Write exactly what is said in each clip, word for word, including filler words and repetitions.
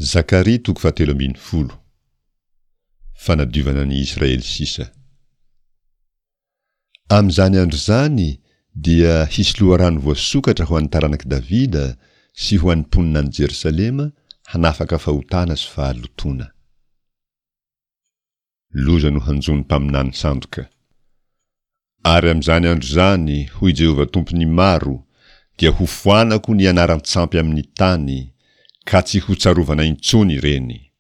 Zakaria toko fahatelo ambin'ny folo. Fanadiovana ny Israely sisa. Amin'izany andro izany dia hisy loharano voasokatra ho an'ny taranak'i Davida sy ho an'ny mponina any Jerosalema hanafaka fahotana sy fahalotoana. Loza no hanjo ny mpaminany sandoka. Ary amin'izany andro izany, hoy Jehovah Tompon'ny maro, dia hofoanako ny anaran-tsampy amin'ny tany, ka tsy hotsarovana intsony ireny.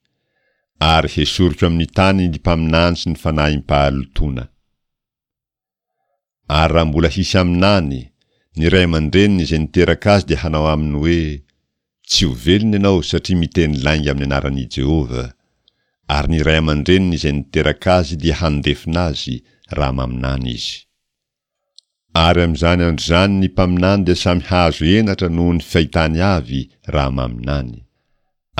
Ary hesoriko amin'ny tany ny mpaminany sy ny fanahim-pahalotoana. Ary raha mbola hisy haminany, ny ray aman-dreniny izay niteraka azy dia hanao aminy hoe, Tsy ho velona ianao satria miteny lainga amin'ny anaran'i Jehovah. Ary ny ray aman-dreniny izay niteraka azy dia handefona azy raha maminany izy. Ary amin'izany andro izany ny mpaminany dia samy hahazo henatra noho ny fahitany avy raha maminany.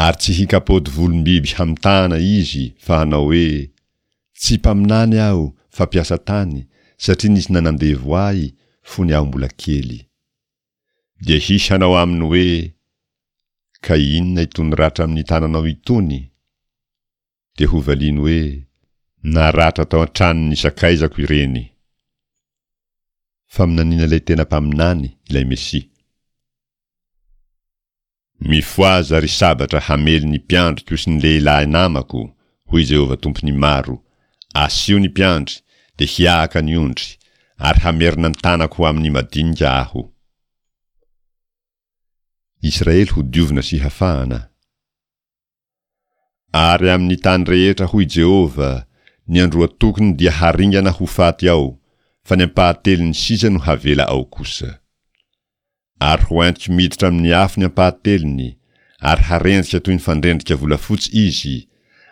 Ary tsy hikapaody volom-biby hamitahana izy fa hanao hoe, Tsy mpaminany aho fa mpiasa tany satria nisy nanandevo ahy fony aho mbola kely. Dia hisy hanao aminy hoe, Ka inona itony ratra amin'ny tananao itony? Dia hovaliany hoe, Naratra tao an-tranon'ny sakaizako ireny. Faminaniana ilay tena mpaminany, ilay Mesia. Mifohaza, ry sabatra, hamely ny mpiandriko sy ny lehilahy namako, hoy Jehovah Tompon'ny maro, asio ny mpiandry, dia hiahaka ny ondry, ary hamerina ny tanako ho amin'ny madinika aho. Israely hodiovina sy hafahana. Ary amin'ny tany rehetra, hoy Jehovah, ny androatokony dia haringana ho faty ao, fa ny ampahatelony sisa no havela ao kosa. Ary ho entiko miditra amin'ny afo ny ampahatelony, ary harendrika toy ny fandrendrika volafotsy izy,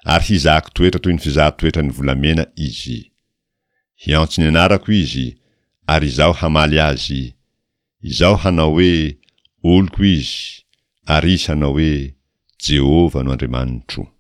ary hizahako toetra toy ny fizaha-toetra ny volamena izy. Hiantso ny anarako izy, ary Izaho hamaly azy. Izaho hanao hoe, Oloko izy, ary izy hanao hoe, Jehovah no Andriamanitro.